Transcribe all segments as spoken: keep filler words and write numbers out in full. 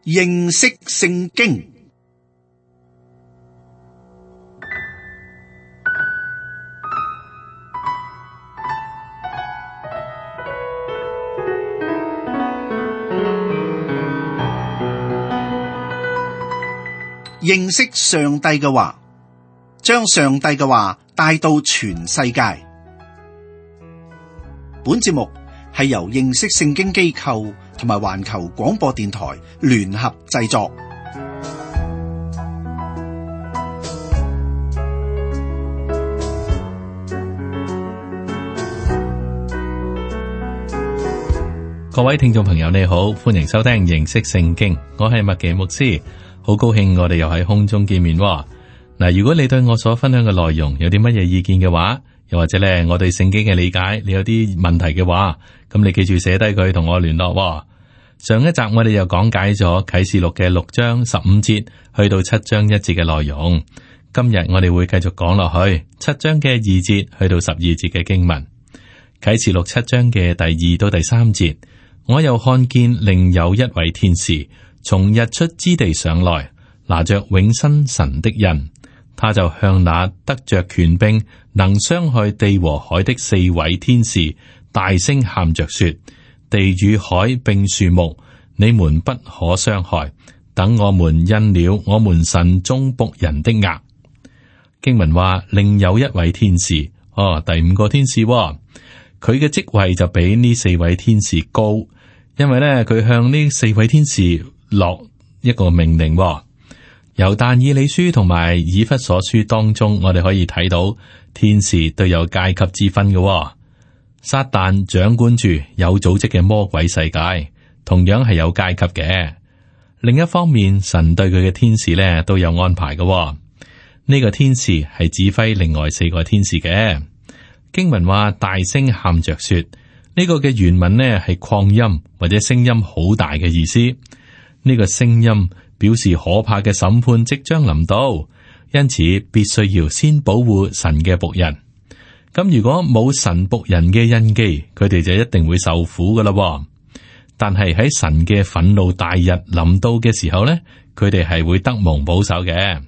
認識聖經。認識上帝嘅話，將上帝嘅話帶到全世界。本節目係由認識聖經機構同埋環球廣播電台聯合製作。各位聽眾朋友，你好，歡迎收聽認識聖經，我係麥奇牧師。好高興我哋又喺空中見面喎。嗱，如果你對我所分享嘅內容有啲乜嘢意見嘅話，又或者咧我對聖經嘅理解，你有啲問題嘅話，咁你記住寫低佢同我聯絡喎。上一集我哋又講解咗啟示錄嘅六章十五節去到七章一節嘅內容。今日我哋會繼續講落去七章嘅二節去到十二節嘅經文。啟示錄七章嘅第二到第三節，我又看見另有一位天使從日出之地上來，拿着永生神的印，他就向那得着權柄能傷害地和海的四位天使大聲喊着說：地與海並樹木，你們不可傷害，等我們印了我們神眾僕人的額。經文話另有一位天使，哦，第五個天使，哦，佢嘅職位就比呢四位天使高，因為咧佢向呢四位天使落一個命令，哦。由但以理書同埋以弗所書當中，我哋可以睇到天使都有階級之分嘅，哦。撒旦掌管住有組織嘅魔鬼世界，同樣係有階級嘅。另一方面，神對佢嘅天使咧都有安排嘅，哦。呢、這個天使係指揮另外四個天使嘅。經文話大聲喊着說，呢、這個嘅原文呢係擴音或者聲音好大嘅意思。呢、這個聲音表示可怕嘅審判即將臨到，因此必須要先保護神嘅僕人。咁如果冇神僕人嘅印記，佢哋就一定會受苦噶啦。但係喺神嘅憤怒大日臨到嘅時候呢，佢哋係會得蒙保守嘅。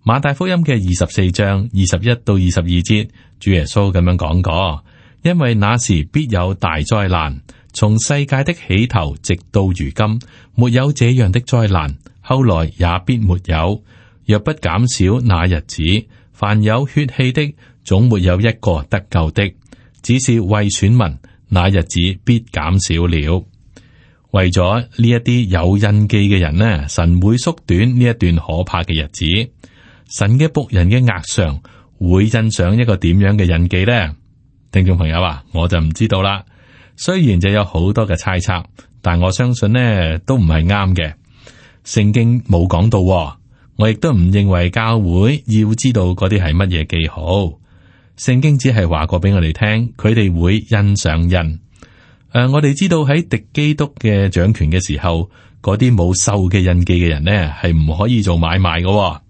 馬太福音嘅二十四章二十一到二十二節，主耶穌咁樣講過：因為那時必有大災難。從世界的起頭直到如今，沒有這樣的災難，後來也必沒有。若不減少那日子，凡有血氣的，總沒有一個得救的。只是為選民，那日子必減少了。為咗呢一啲有印記嘅人呢，神會縮短呢一段可怕嘅日子。神嘅僕人嘅額上會印上一個點樣嘅印記呢？聽眾朋友啊，我就唔知道啦。雖然就有好多嘅猜測，但我相信呢都唔係啱嘅。聖經冇講到，我亦都唔認為教會要知道嗰啲係乜嘢記號。聖經只係話過俾我哋聽，佢哋會印上印。誒、呃，我哋知道喺敵基督嘅掌權嘅時候，嗰啲冇獸嘅印記嘅人呢係唔可以做買賣嘅。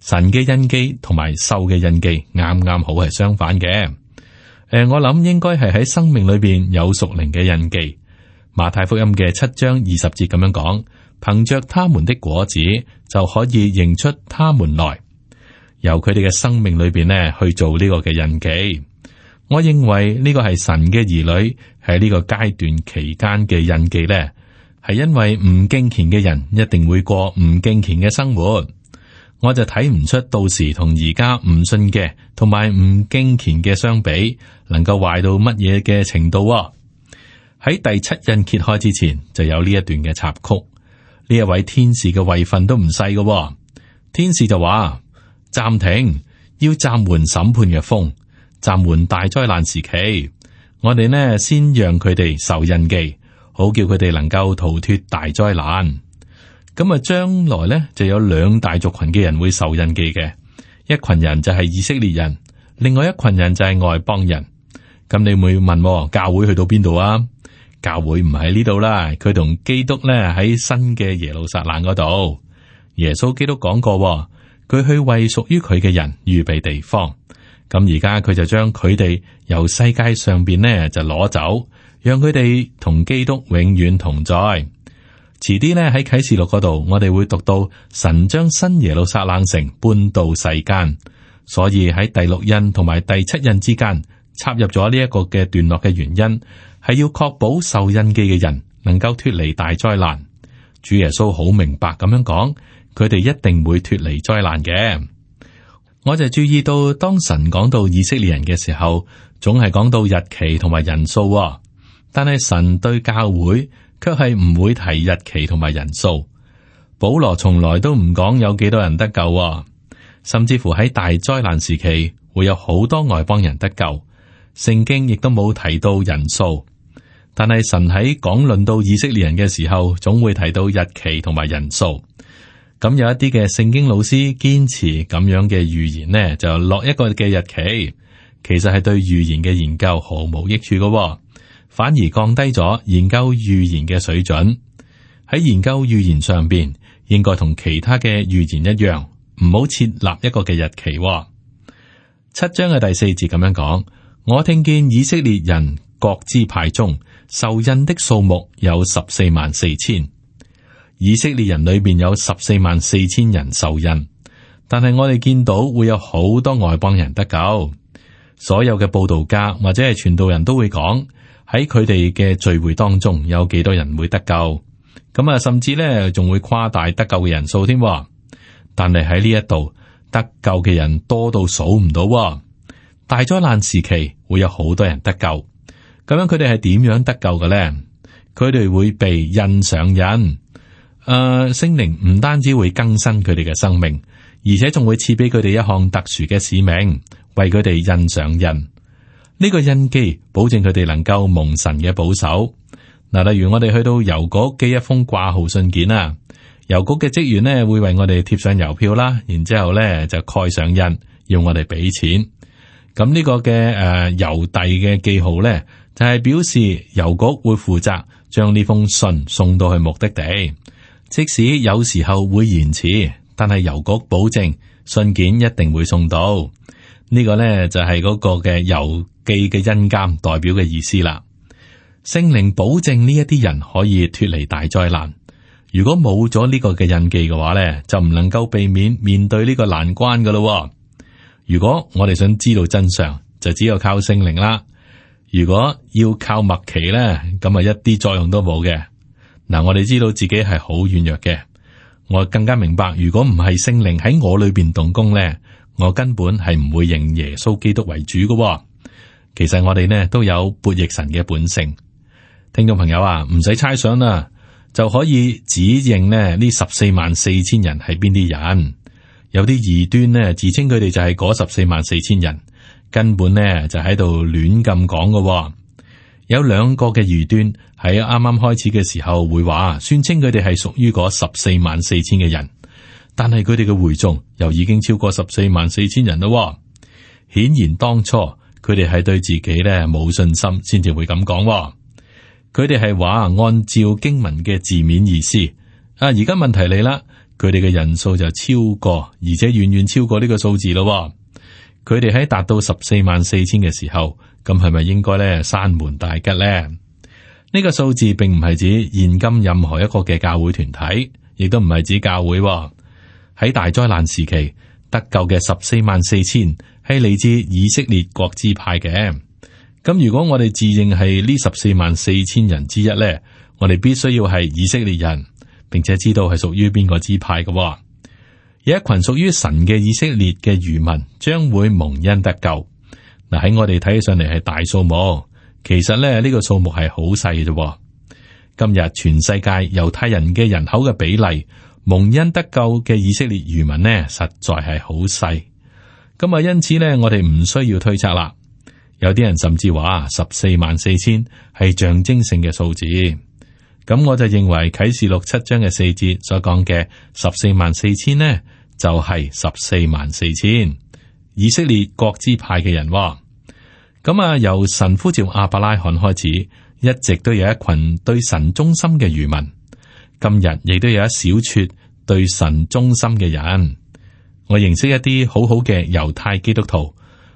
神嘅印記同埋獸嘅印記啱啱好係相反嘅。誒、呃，我諗應該係喺生命裏邊有屬靈嘅印記。馬太福音嘅七章二十節咁樣講，憑着他們的果子就可以認出他們來，由佢哋嘅生命裏邊呢去做呢個嘅印記。我認為呢個係神嘅兒女喺呢個階段期間嘅印記呢，係因為唔敬虔嘅人一定會過唔敬虔嘅生活。我就睇唔出到時同而家唔信嘅同埋唔敬虔嘅相比，能夠壞到乜嘢嘅程度啊？喺第七印揭開之前，就有呢一段嘅插曲。呢一位天使嘅位份都唔細嘅，天使就話暫停，要暫緩審判嘅風，暫緩大災難時期。我哋呢先讓佢哋受印記，好叫佢哋能夠逃脫大災難。咁啊，將來咧就有兩大族群嘅人會受印記嘅，一群人就係以色列人，另外一群人就係外邦人。咁你會問，教會去到邊度啊？教會唔喺呢度啦，佢同基督咧喺新嘅耶路撒冷嗰度。耶穌基督講過，佢去為屬於佢嘅人預備地方。咁而家佢就將佢哋由世界上邊呢就攞走，讓佢哋同基督永遠同在。遲啲呢喺啟示錄嗰度，我哋會讀到神將新耶路撒冷城搬到世間，所以喺第六印同埋第七印之間插入咗呢一個嘅段落嘅原因，係要確保受印記嘅人能夠脫離大災難。主耶穌好明白咁樣講，佢哋一定會脫離災難嘅。我就注意到，當神講到以色列人嘅時候，總係講到日期同埋人數，但係神對教會卻係唔會提日期同埋人數。保羅從來都唔講有幾多人得救，甚至乎喺大災難時期會有好多外邦人得救，聖經亦都冇提到人數。但係神喺講論到以色列人嘅時候，總會提到日期同埋人數。咁有一啲嘅聖經老師堅持咁樣嘅預言呢，就落一個嘅日期，其實係對預言嘅研究毫無益處嘅，反而降低咗研究預言嘅水準。喺研究預言上邊，應該同其他嘅預言一樣，唔好設立一個嘅日期。七章嘅第四節咁樣講：我聽見以色列人各支派中受印的數目有十四萬四千。以色列人裏邊有十四萬四千人受印，但係我哋見到會有好多外邦人得救。所有嘅佈道家或者係傳道人都會講，喺佢哋嘅聚會當中有幾多人會得救，咁啊，甚至咧仲會誇大得救嘅人數添。但係喺呢一度得救嘅人多到數唔到。大災難時期會有好多人得救，咁樣佢哋係點樣得救嘅咧？佢哋會被印上印。誒，聖靈唔單止會更新佢哋嘅生命，而且仲會賜俾佢哋一項特殊嘅使命，為佢哋印上印。呢、這個印記保證佢哋能夠蒙神嘅保守。嗱，例如我哋去到郵局寄一封掛號信件啊，郵局嘅職員呢會為我哋貼上郵票啦，然之後咧就蓋上印，要我哋俾錢。咁呢個嘅誒郵遞嘅記號咧，就係、是、表示郵局會負責將呢封信送到去目的地。即使有時候會延遲，但係郵局保證信件一定會送到。呢個呢，就係嗰個嘅郵寄嘅印鑑代表嘅意思啦。聖靈保證呢一啲人可以脫離大災難。如果冇咗呢個嘅印記嘅話呢，就唔能夠避免面對呢個難關噶咯。如果我哋想知道真相，就只有靠聖靈啦。如果要靠默奇呢，咁啊一啲作用都冇嘅。嗱，我哋知道自己係好軟弱嘅，我更加明白，如果唔係聖靈喺我裏邊動工咧，我根本係唔會認耶穌基督為主嘅。其實我哋呢都有悖逆神嘅本性。聽眾朋友啊，唔使猜想啦，就可以指認呢呢十四萬四千人係邊啲人。有啲異端呢自稱佢哋就係嗰十四萬四千人，根本呢就喺度亂咁講嘅。有兩個嘅異端喺啱啱開始嘅時候會話，宣稱佢哋係屬於嗰十四萬四千嘅人，但係佢哋嘅會眾又已經超過十四萬四千人咯。顯然當初佢哋係對自己咧冇信心，先至會咁講。佢哋係話按照經文嘅字面意思。啊，而家問題嚟啦，佢哋嘅人數就超過，而且遠遠超過呢個數字咯。佢哋喺達到十四萬四千嘅時候，咁係咪應該咧閂門大吉咧？呢個數字並唔係指現今任何一個嘅教會團體，亦都唔係指教會。喺大災難時期得救嘅十四萬四千係嚟自以色列各支派嘅。咁如果我哋自認係呢十四萬四千人之一咧，我哋必須要係以色列人，並且知道係屬於邊個支派嘅。有一群屬於神嘅以色列嘅餘民將會蒙恩得救。嗱，喺我哋睇起上嚟係大數目，其實咧呢個數目係好細嘅啫。今日全世界猶太人嘅人口嘅比例，蒙恩得救嘅以色列餘民呢，實在係好細。咁啊，因此呢，我哋唔需要推測啦。有啲人甚至話十四萬四千係象徵性嘅數字。咁我就認為啟示錄七章嘅四節所講嘅十四萬四千呢，就係十四萬四千以色列各支派嘅人。咁啊，由神呼召亞伯拉罕開始，一直都有一群對神忠心嘅餘民。今日亦都有一小撮對神忠心嘅人。我認識一啲好好嘅猶太基督徒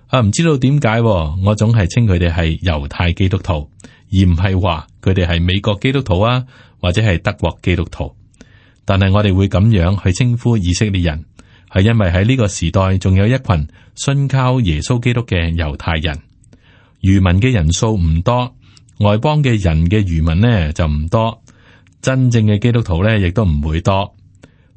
啊，唔知道點解，我總係稱佢哋係猶太基督徒，而唔係話佢哋係美國基督徒啊，或者係德國基督徒。但係我哋會咁樣去稱呼以色列人，係因為喺呢個時代仲有一群信靠耶穌基督嘅猶太人。餘民嘅人數唔多，外邦嘅人嘅餘民呢就唔多，真正嘅基督徒呢亦都唔會多。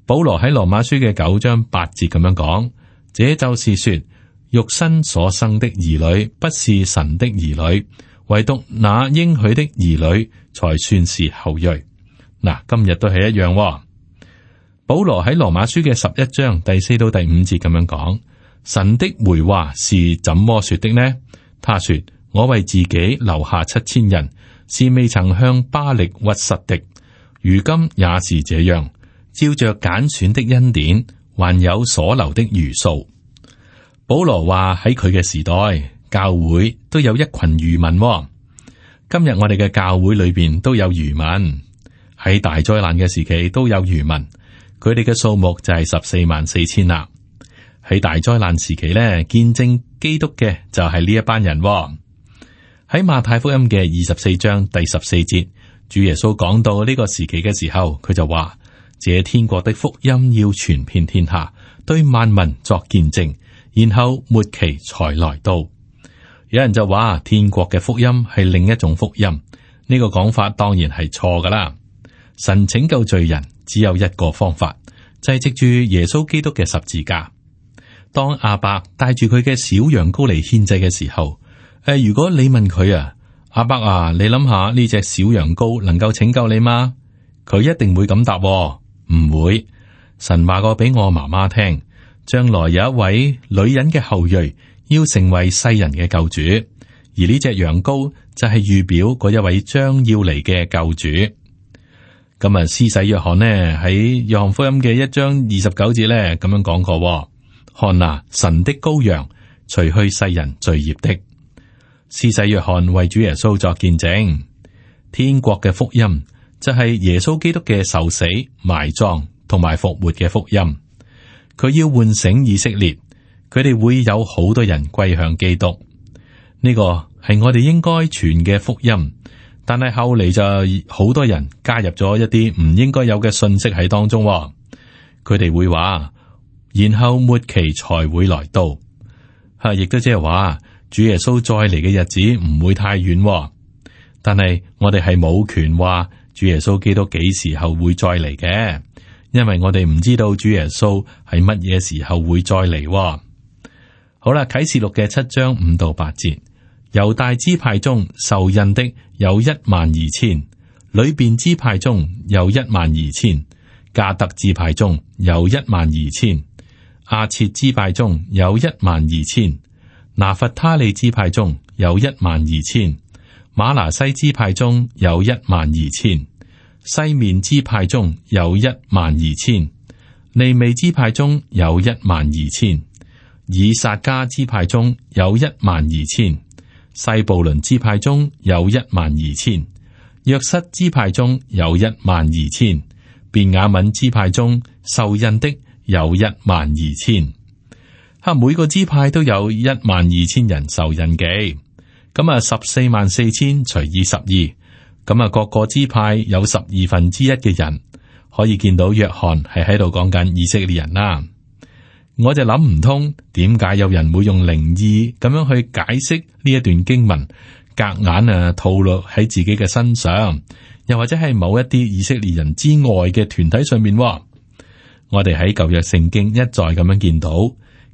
保羅喺羅馬書嘅九章八節咁樣講，這就是說，肉身所生的兒女不是神的兒女，唯獨那應許的兒女才算是後裔。嗱，今日都係一樣喎。保羅喺羅馬書嘅十一章第四到第五節咁樣講，神的回話是怎麼說的呢？他說，我為自己留下七千人，是未曾向巴力屈膝的，如今也是這樣，照着揀選的恩典，還有所留的餘數。保羅話喺佢嘅時代，教會都有一群餘民喎。今日我哋嘅教會裏邊都有餘民，喺大災難嘅時期都有餘民。佢哋嘅數目就係十四萬四千啦。喺大災難時期咧，見證基督嘅就係呢一班人喎。喺馬太福音嘅二十四章第十四節，主耶穌講到呢個時期嘅時候，佢就話：這天國的福音要傳遍天下，對萬民作見證，然後末期才來到。有人就話天國嘅福音係另一種福音，呢個講法當然係錯噶啦。神拯救罪人只有一個方法，就係藉住耶穌基督嘅十字架。當亞伯帶住佢嘅小羊羔嚟獻祭嘅時候，誒，如果你問佢啊，亞伯啊，你諗下呢隻小羊羔能夠拯救你嗎？佢一定會咁答喎，唔會。神話過俾我媽媽聽，將來有一位女人嘅後裔要成為世人嘅救主，而呢隻羊羔就係預表嗰一位將要嚟嘅救主。咁啊，施洗約翰呢喺約翰福音嘅一章二十九節咧咁樣講過：看啊，神的羔羊，除去世人罪孽的。施洗約翰為主耶穌作見證，天國嘅福音就係耶穌基督嘅受死、埋葬同埋復活嘅福音。佢要喚醒以色列，佢哋會有好多人歸向基督。呢個係我哋應該傳嘅福音。但係後嚟就好多人加入咗一啲唔應該有嘅信息喺當中，佢哋會話，然後末期才會來到，吓，亦都即係話主耶穌再嚟嘅日子唔會太遠。但係我哋係冇權話主耶穌基督幾時候會再嚟嘅，因為我哋唔知道主耶穌係乜嘢時候會再嚟。好啦，啟示錄嘅七章五到八節。猶大支派中受印的有一萬二千，流便支派中有一萬二千，迦得支派中有一萬二千，亞設支派中有一萬二千，拿弗他利支派中有一萬二千，瑪拿西支派中有一萬二千，西面支派中有一萬二千，利未支派中有一萬二千，以薩迦支派中有一萬二千。西布倫支派中有一萬二千，約瑟支派中有一萬二千，便雅憫支派中受印的有一萬二千。哈，每個支派都有一萬二千人受印記，咁啊十四萬四千除以十二，咁啊各個支派有十二分之一嘅人，可以見到約翰係喺度講緊以色列人啦。我就諗唔通，點解有人會用靈意咁樣去解釋呢一段經文，夾硬啊套落喺自己嘅身上，又或者係某一啲以色列人之外嘅團體上面。我哋喺舊約聖經一再咁樣見到，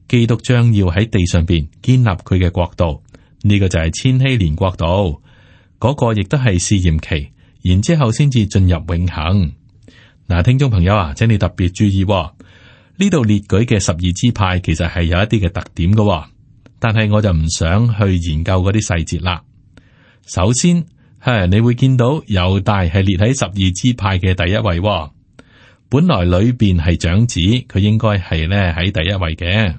基督將要喺地上邊建立佢嘅國度，呢、這個就係千禧年國度，嗰、那個亦都係試驗期，然之後先至進入永恆。嗱，聽眾朋友啊，請你特別注意。呢度列舉嘅十二支派其實係有一啲嘅特點嘅，但係我就唔想去研究嗰啲細節啦。首先係你會見到猶大係列喺十二支派嘅第一位，本來裏邊係長子，佢應該係咧喺第一位嘅，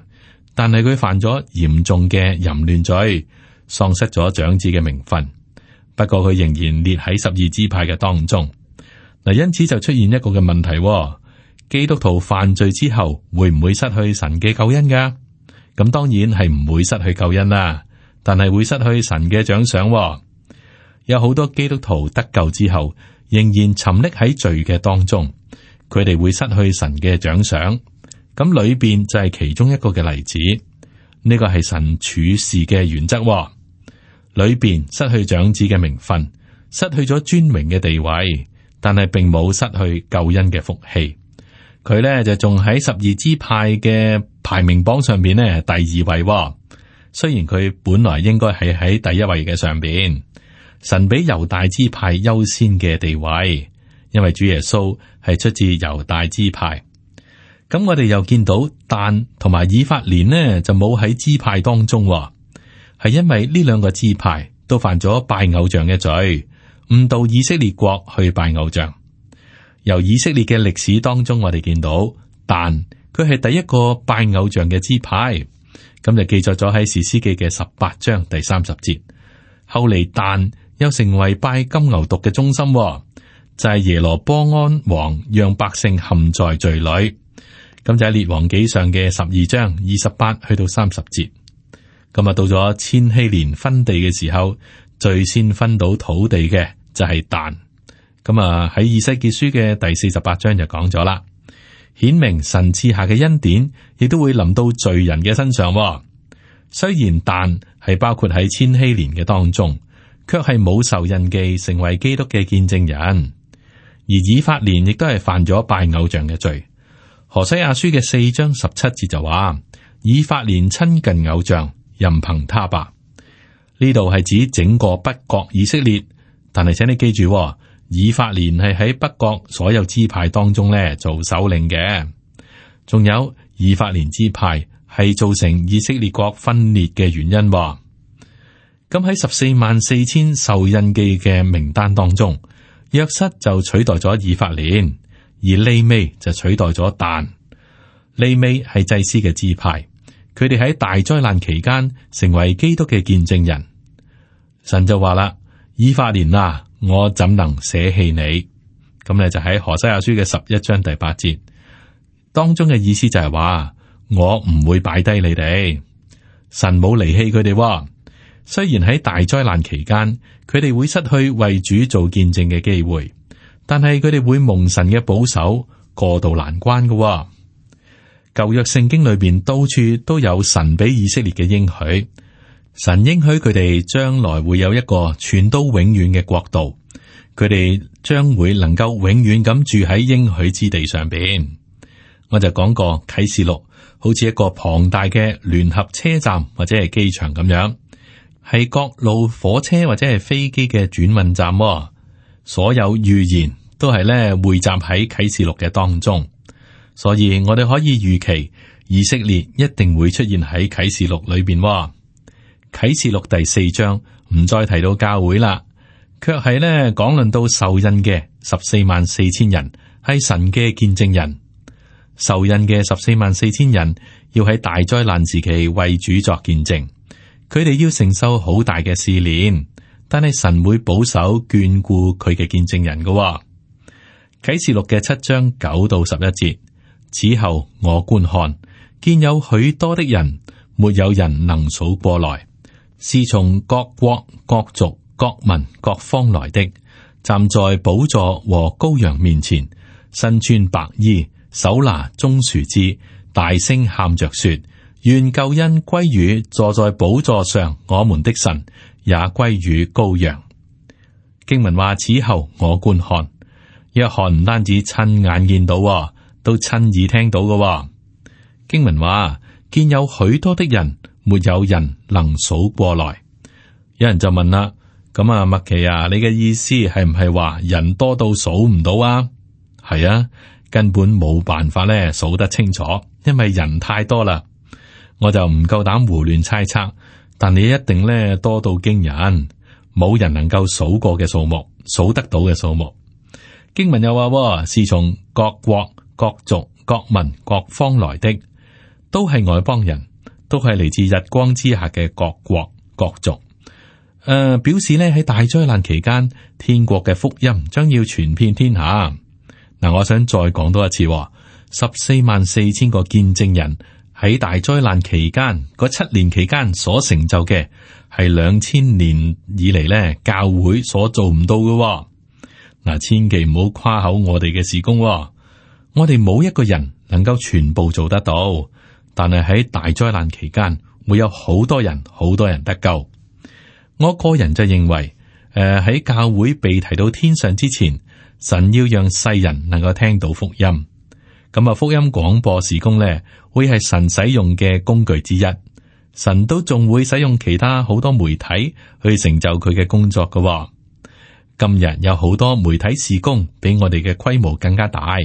但係佢犯咗嚴重嘅淫亂罪，喪失咗長子嘅名分。不過佢仍然列喺十二支派嘅當中。嗱，因此就出現一個嘅問題。基督徒犯罪之後會唔會失去神嘅救恩噶？咁當然係唔會失去救恩啦，但係會失去神嘅獎賞。有好多基督徒得救之後，仍然沉溺喺罪嘅當中，佢哋會失去神嘅獎賞。咁裏邊就係其中一個嘅例子，呢個係神處事嘅原則。裏邊失去長子嘅名分，失去咗尊榮嘅地位，但係並冇失去救恩嘅福氣。佢呢就仲喺十二支派嘅排名榜上邊呢第二位。雖然佢本來應該係喺第一位嘅上邊，神俾猶大支派優先嘅地位，因為主耶穌係出自猶大支派。咁我哋又見到但同埋以法蓮呢就冇喺支派當中，係因為呢兩個支派都犯咗拜偶像嘅罪，誤導以色列國去拜偶像。由以色列嘅歷史當中，我哋見到但佢係第一個拜偶像嘅支派。咁就記載咗喺士師記嘅十八章第三十節。後嚟但又成為拜金牛犢嘅中心，就係、是、耶羅波安王讓百姓陷在罪裏。咁就喺列王紀上嘅十二章二十八去到三十節。咁啊到咗千禧年分地嘅時候，最先分到土地嘅就係但。咁啊喺以西結書嘅第四十八章就講咗啦。顯明神賜下嘅恩典，亦都會臨到罪人嘅身上。雖然但係包括喺千禧年嘅當中，卻係冇受印記成為基督嘅見證人。而以法蓮亦都係犯咗拜偶像嘅罪。何西阿書嘅四章十七節就話：以法蓮親近偶像，任憑他吧。呢度係指整個北國以色列，但係請你記住。以法蓮係喺北國所有支派當中咧做首領嘅，仲有以法蓮支派係造成以色列國分裂嘅原因。咁喺十四萬四千受印記嘅名單當中，約瑟就取代咗以法蓮，而利未就取代咗但。利未係祭司嘅支派，佢哋喺大災難期間成為基督嘅見證人。神就話啦：以法蓮啊，我怎能捨棄你？咁咧就喺何西阿書嘅十一章第八節當中嘅意思就係話，我唔會擺低你哋。神冇離棄佢哋，雖然喺大災難期間，佢哋會失去為主做見證嘅機會，但係佢哋會蒙神嘅保守，過渡難關嘅。舊約聖經裏邊到處都有神俾以色列嘅應許。神應許佢哋將來會有一個傳到永遠嘅國度，佢哋將會能夠永遠咁住喺應許之地上邊。我就講過啟示錄好似一個龐大嘅聯合車站或者係機場咁樣，係各路火車或者係飛機嘅轉運站。所有預言都係咧匯集喺啟示錄嘅當中，所以我哋可以預期以色列一定會出現喺啟示錄裏邊。啟示錄第四章唔再提到教會啦，卻係咧講論到受印嘅十四萬四千人係神嘅見證人。受印嘅十四萬四千人要喺大災難時期為主作見證，佢哋要承受好大嘅試煉，但係神會保守眷顧佢嘅見證人嘅。啟示錄嘅七章九到十一節，此後我觀看，見有許多的人，沒有人能數過來。是從各國、各族、各民、各方來的，站在寶座和羔羊面前，身穿白衣，手拿棕樹枝，大聲喊着說：願救恩歸於坐在寶座上我們的神，也歸於羔羊。經文話：此後我觀看，約翰唔單止親眼見到，都親耳聽到嘅。經文話：見有許多的人。沒有人能數過來。有人就問啦：咁啊，麥奇啊，你嘅意思係唔係話人多到數唔到啊？係啊，根本冇辦法咧數得清楚，因為人太多啦。我就唔夠膽胡亂猜測，但你一定咧多到驚人，冇人能夠數過嘅數目，數得到嘅數目。經文又話：是從各國、各族、各民、各方來的，都係外邦人。都係嚟自日光之下嘅各國各族，誒、呃，表示咧喺大災難期間，天國嘅福音將要傳遍天下。嗱，我想再講多一次，十四萬四千個見證人喺大災難期間嗰七年期間所成就嘅，係兩千年以嚟咧教會所做唔到嘅。嗱，千祈唔好誇口我哋嘅事工，我哋冇一個人能夠全部做得到，但係喺大災難期間會有好多人，好多人得救。我個人就認為，誒喺教會被提到天上之前，神要讓世人能夠聽到福音。咁啊，福音廣播事工咧，會係神使用嘅工具之一。神都仲會使用其他好多媒體去成就佢嘅工作㗎。今日有好多媒體事工比我哋嘅規模更加大。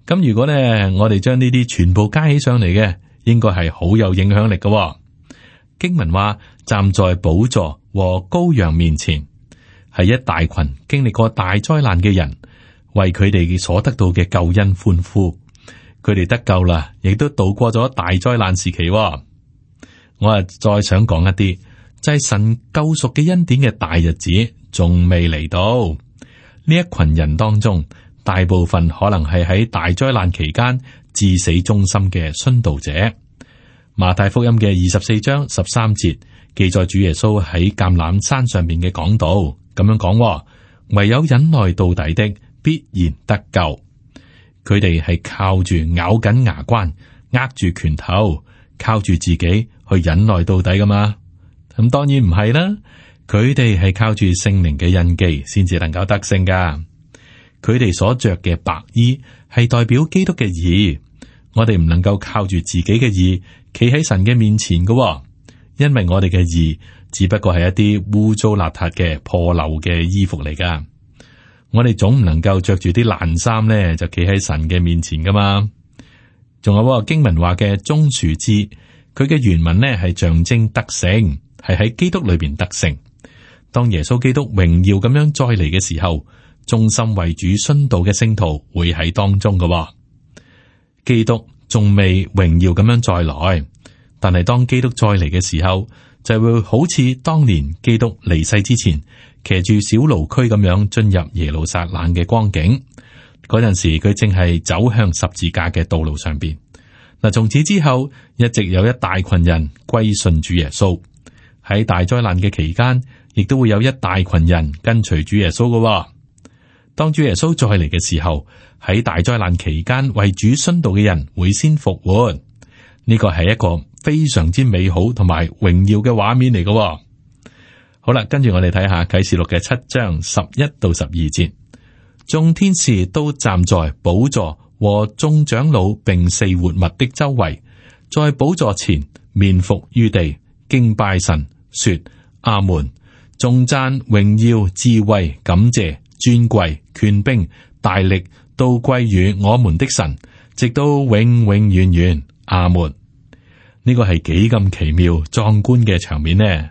咁如果咧，我哋將呢啲全部加起上嚟嘅，應該係好有影響力㗎。經文話，站在寶座和羔羊面前，係一大群經歷過大災難嘅人，為佢哋所得到嘅救恩歡呼。佢哋得救啦，亦都度過咗大災難時期。我啊，再想講一啲，就係神救贖嘅恩典嘅大日子仲未嚟到。呢一群人當中，大部分可能係喺大災難期間至死忠心嘅殉道者。馬太福音嘅二十四章十三節記載主耶穌喺橄欖山上面嘅講道，咁樣講：唯有忍耐到底的，必然得救。佢哋係靠住咬緊牙關，握住拳頭，靠住自己去忍耐到底噶嘛？咁當然唔係啦，佢哋係靠住聖靈嘅印記，先至能夠得勝噶。佢哋所着嘅白衣係代表基督嘅義，我哋唔能夠靠住自己嘅義企喺神嘅面前噶，因為我哋嘅義只不過係一啲污糟邋遢嘅破漏嘅衣服嚟噶。我哋總唔能夠着住啲爛衫咧，就企喺神嘅面前噶嘛。仲有經文話嘅棕樹枝，佢嘅原文呢係象徵得勝，係喺基督裏邊得勝。當耶穌基督榮耀咁樣再嚟嘅時候，忠心為主殉道嘅聖徒會喺當中噶。基督仲未榮耀咁樣再來，但係當基督再嚟嘅時候，就會好似當年基督離世之前，騎住小驢駒咁樣進入耶路撒冷嘅光景。嗰陣時佢正係走向十字架嘅道路上邊。嗱，從此之後一直有一大群人歸信主耶穌。喺大災難嘅期間，亦都會有一大群人跟隨主耶穌噶。當主耶穌再嚟嘅時候，喺大災難期間為主殉道嘅人會先復活。呢個係一個非常之美好同埋榮耀嘅畫面嚟噶。好啦，跟住我哋睇下啟示錄嘅七章十一到十二節，眾天使都站在寶座和眾長老並四活物的周圍，在寶座前面伏於地，敬拜神，說：阿門！頌讚、榮耀、智慧、感謝、尊貴、權柄、大力，都歸於我們的神，直到永永遠遠。阿門！呢個係幾咁奇妙壯觀嘅場面呢？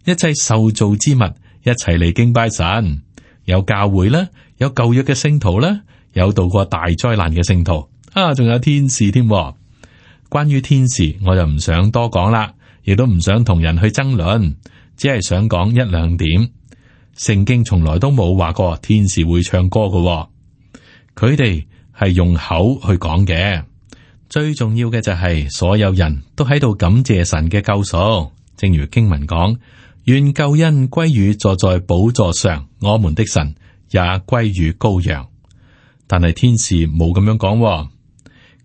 一切受造之物一齊嚟敬拜神，有教會啦，有舊約嘅聖徒啦，有度過大災難嘅聖徒啊，仲有天使添。關於天使，我就唔想多講啦，亦都唔想同人去爭論，只係想講一兩點。聖經從來都冇話過天使會唱歌㗎，佢哋係用口去講嘅。最重要嘅就係所有人都喺度感謝神嘅救贖，正如經文講：願救恩歸於坐在寶座上我們的神，也歸於羔羊。但係天使冇咁樣講，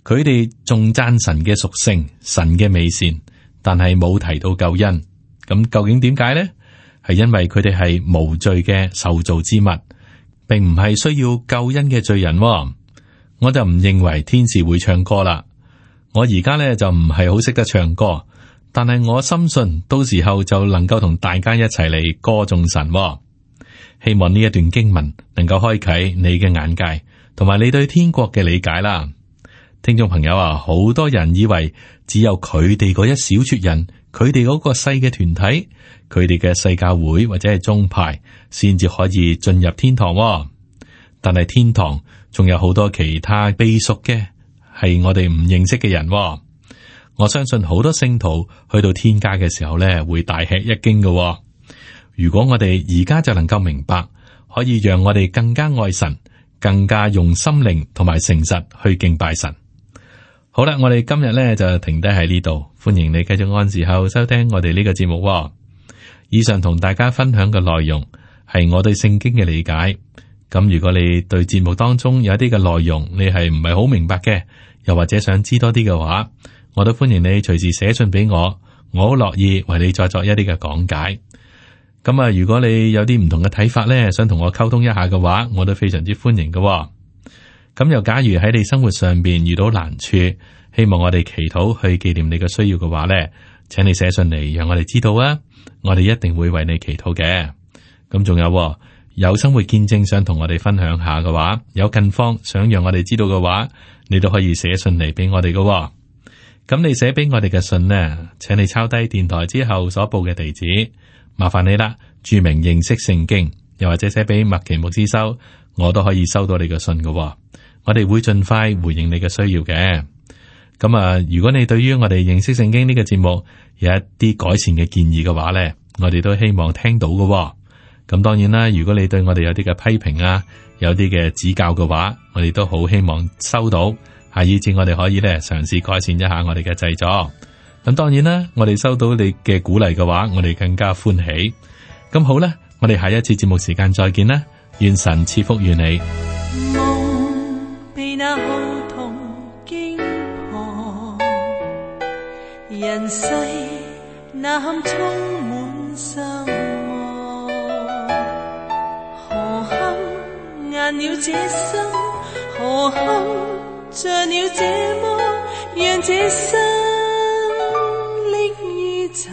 佢哋仲讚神嘅屬性、神嘅美善，但係冇提到救恩。咁究竟點解呢？係因為佢哋係無罪嘅受造之物，並唔係需要救恩嘅罪人。我就唔認為天使會唱歌啦。我而家咧就唔係好識得唱歌，但係我深信到時候就能夠同大家一齊嚟歌頌神。希望呢一段經文能夠開啟你嘅眼界，同埋你對天國嘅理解啦。聽眾朋友啊，好多人以為只有佢哋嗰一小撮人，佢哋嗰個細嘅團體，佢哋嘅世教會或者係宗派，先至可以進入天堂。但係天堂仲有好多其他秘屬嘅，係我哋唔認識嘅人。我相信好多聖徒去到天家嘅時候咧，會大吃一驚嘅。如果我哋而家就能夠明白，可以讓我哋更加愛神，更加用心靈同埋誠實去敬拜神。好啦，我哋今日咧就停低喺呢度，歡迎你繼續按時候收聽我哋呢個節目喎。以上同大家分享嘅內容係我對聖經嘅理解。咁如果你對節目當中有一啲嘅內容你係唔係好明白嘅，又或者想知多啲嘅話，我都歡迎你隨時寫信俾我，我好樂意為你再作一啲嘅講解。咁啊，如果你有啲唔同嘅睇法咧，想同我溝通一下嘅話，我都非常之歡迎嘅喎。咁又假如喺你生活上邊遇到難處，希望我哋祈禱去紀念你嘅需要嘅話咧，請你寫信嚟讓我哋知道啊，我哋一定會為你祈禱嘅。咁仲有有生活見證想同我哋分享下嘅話，有近況想讓我哋知道嘅話，你都可以寫信嚟俾我哋嘅喎。咁你寫俾我哋嘅信呢，請你抄低電台之後所報嘅地址，麻煩你啦，注明認識聖經，又或者寫俾麥奇牧師收，我都可以收到你嘅信嘅喎。我哋會盡快回應你嘅需要嘅。咁啊，如果你對於我哋認識聖經呢個節目有一啲改善嘅建議嘅話呢，我哋都希望聽到嘅喎。咁當然啦，如果你對我哋有啲嘅批評啊，有啲嘅指教嘅話，我哋都好希望收到，係以至我哋可以咧嘗試改善一下我哋嘅製作。咁當然啦，我哋收到你嘅鼓勵嘅話，我哋更加歡喜。咁好啦，我哋下一次節目時間再見啦，願神賜福於你。被那號筒驚破，人世那堪充滿愁惡，何堪硬了這心，何堪着了這麼讓這生溺於塵